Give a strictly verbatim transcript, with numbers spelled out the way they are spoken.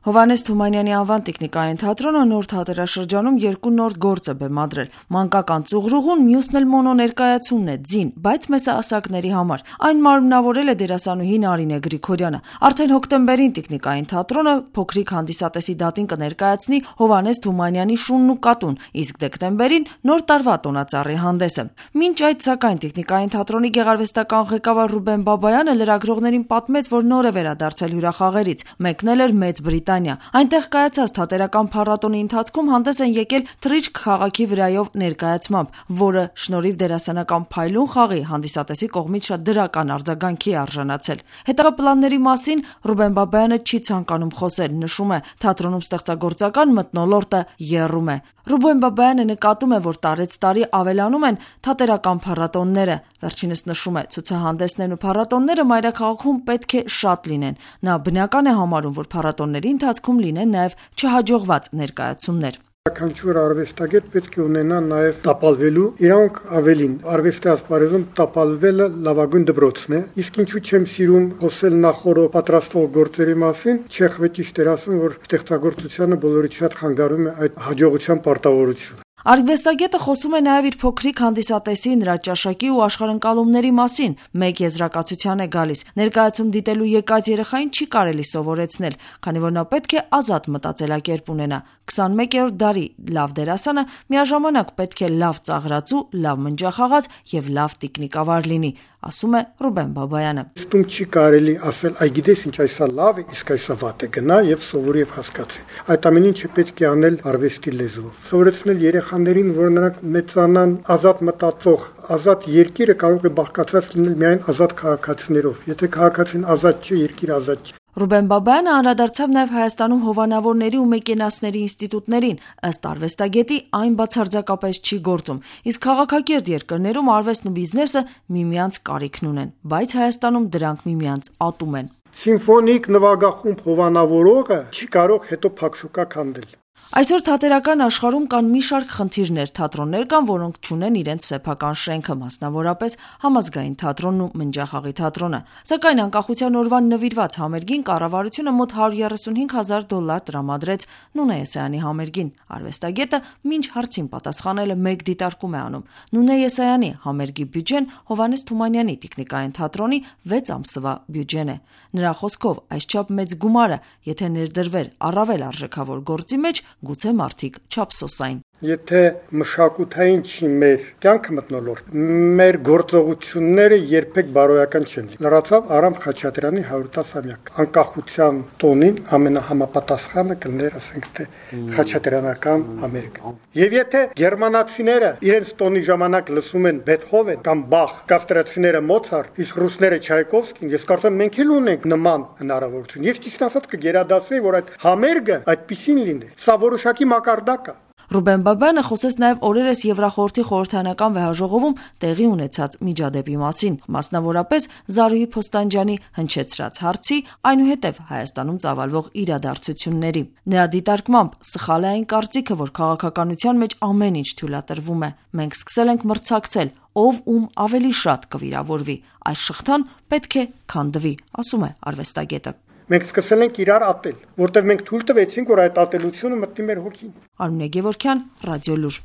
Հովհաննես Թումանյանի անվան տիկնիկային թատրոնը նոր թատերաշրջանում երկու նոր գործ է բեմադրել։ Մանկական ծուղրուղուն, մյուսն էլ մոնո ներկայացումն է, ձին, բայց մեծահասակների համար։ Այն մարմնավորել է դերասանուհի Նարինե Գրիգորյանը։ Արդեն հոկտեմբերին տիկնիկային թատրոնը փոքրիկ հանդիսատեսի դատին կներկայացնի Հովհաննես Թումանյանի Շունն ու կատուն, իսկ դեկտեմբերին նոր տարվա տոնածառի հանդեսը։ Մինչ այդ, սակայն, տիկնիկային թատրոնի գեղարվեստական ղեկավար Ռուբեն Բաբայանը լրագրողներին պատմեց, որ նոր է վերադարձել հյուրախաղերից, մեկնել էր Մեծ Բրիտանիա։ Այնտեղ կայացած թատերական փառատոնի ընթացքում հանդես են եկել թռիչք քաղաքի վրայով ներկայացմամբ, որը շնորհիվ դերասանական փայլուն խաղի հանդիսատեսի կողմից շատ դրական արձագանքի է արժանացել։ Հետագա պլանների մասին Ռուբեն Բաբայանը չի ցանկանում խոսել, նշում է, թատրոնում ստեղծագործական մթնոլորտը եռում է։ Ռուբեն Բաբայանը նկատում է, որ տարեց տարի ավելանում են թատերական փառատոնները։ Վերջինս նշում է, ցուցահանդեսներն ու փառատոնները մայրաքաղաքում պետք է շատ լինեն։ Նա բնական է համարում, որ փառատոնների ընթացքում լինեն նաև չհաջողված ներկայացումներ։ Յուրաքանչյուր արվեստագետ պետք է ունենա նաև տապալվելու, իրանք ավելին արվեստի ասպարեզում տապալվելը լավագույն դպրոցն է, իսկ ինչու չեմ սիրում խոսել նախորդ պատրաստող գործերի մասին, Չեխովի ճիշտ էր ասում, որ ստեղծագործությանը բոլորի շատ խանգարում է այդ հաջողության պարտավորությունը։ Արվեստագետը խոսում է նաև իր փոքրիկ հանդիսատեսի, նրա ճաշակի ու աշխարհընկալումների մասին։ Մեկ եզրակացության է գալիս. ներկայացում դիտելու եկած երեխային չի կարելի սովորեցնել, քանի որ նա պետք է ազատ մտածելակերպ ունենա։ քսանմեկերորդ դարի լավ դերասանը միաժամանակ պետք է լավ ծաղրածու, լավ մնջախաղաց եւ լավ տիկնիկավար լինի, ասում է Ռուբեն Բաբայանը։ Ստում չի կարելի ասել, այ գիտես ինչ, այսա լավ է, իսկ այսա վատ է, գնա եւ սովորի եւ հասկացի։ Այդ ամեն ինչը պետք է անել արվեստի լեզվով։ Սովորեցնել երեխաներին, որ նրանք մեծանան ազատ մտածող, ազատ երկիրը կարող է բաղկացած լինել միայն ազատ քաղաքացիներով։ Եթե քաղաքացին ազատ չի, երկիրը ազատ չի։ Ռուբեն Բաբայանը անդրադարձավ նաև Հայաստանում հովանավորների ու մեկենասների ինստիտուտներին, ըստ արվեստագետի այն բացարձակապես չի գործում, իսկ քաղաքակիրթ երկրներում արվեստն ու բիզնեսը միմյանց կարիքն ունեն, բայց Հայաստանում դրանք միմյանց ատում են։ Սիմֆոնիկ նվագախումբ հովանավորողը չի կարող հետո փակշուկա քանդել։ Այսօր թատերական աշխարհում կան մի շարք խնդիրներ, թատրոններ կան, որոնք չունեն իրենց սեփական շենքը, մասնավորապես Համազգային թատրոնն ու Մնջախաղի թատրոնը։ Սակայն անկախության օրվան նվիրված համերգին կառավարությունը մոտ հարյուր երեսունհինգ հազար դոլար տրամադրեց Նունե Եսայանի համերգին։ Արվեստագետը մինչ հարցին պատասխանելը մեկ դիտարկում է անում։ Նունե Եսայանի համերգի բյուջեն Հովհաննես Թումանյանի տիկնիկային թատրոնի վեց ամսվա բյուջեն է։ Նրա խոսքով, այսչափ մեծ գումարը, եթե ներդրվեր առավել արժեքավոր գործի մեջ, գուցե մարդիկ չափսոսային։ Եթե մշակութային չի մեր կյանքը մթնոլորտ, մեր գործողությունները երբեք բարոյական չեն։ Լրացավ Արամ Խաչատրյանի հարյուր տասնամյակ։ Անկախության տոնին ամենահամապատասխանը կլներ, ասենք թե խաչատրյանական համերգ։ Եվ եթե գերմանացիները իրենց տոնի ժամանակ լսում են Բեթհովեն կամ Բախ, կաստրացիները Մոցարտ, իսկ ռուսները Չայկովսկին, ես կարծում եմ մենք էլ ունենք նման հնարավորություն։ Ես ճիշտ ասած կգերադասեի, որ այդ համերգը այդպեսին լինի։ Սա որոշակի մակարդակ է։ Ռուբեն Բաբայանը խոսեց նաև օրերս Եվրախորհրդի խորհրդարանական վեհաժողովում տեղի ունեցած միջադեպի մասին, մասնավորապես Զարուհի Փոստանջյանի հնչեցրած հարցի, այնուհետև Հայաստանում ծավալվող իրադարձությունների։ Նրա դիտարկմամբ սխալ է այն կարծիքը, որ քաղաքականության մեջ ամեն ինչ թույլատրվում է։ Մենք սկսել ենք մրցակցել, ով ում ավելի շատ կվիրավորվի։ Այս շղթան պետք է քանդվի, ասում է արվեստագետը։ Մենք սկսել ենք իրար ատել, որտեղ մենք թույլ տվեցինք, որ այդ ատելությունը մտնի մեր հոգին։ Արմինե Գևորգյան, Ռադիոլուր։